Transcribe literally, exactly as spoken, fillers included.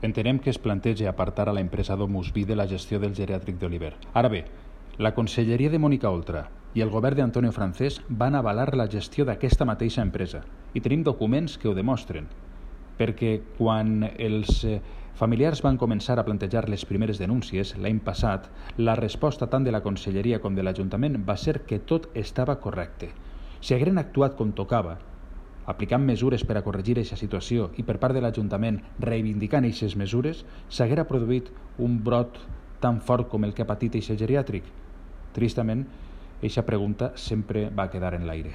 Entenem que es planteja apartar a la empresa Domus Vi de la gestió del geriàtric d'Oliver. Ara bé, la conselleria de Mònica Oltra i el govern d'Antonio Francés van avalar la gestió d'aquesta mateixa empresa i tenim documents que ho demostren, perquè quan els familiars van començar a plantejar les primeres denúncies l'any passat, la resposta tant de la conselleria com de l'Ajuntament va ser que tot estava correcte. Si hagueren actuat com tocava, aplicant mesures per a corregir aquesta situació i per part de l'Ajuntament reivindicant aquestes mesures, s'haguera produït un brot tan fort com el que ha patit aquest geriàtric? Tristament, aquesta pregunta sempre va quedar en l'aire.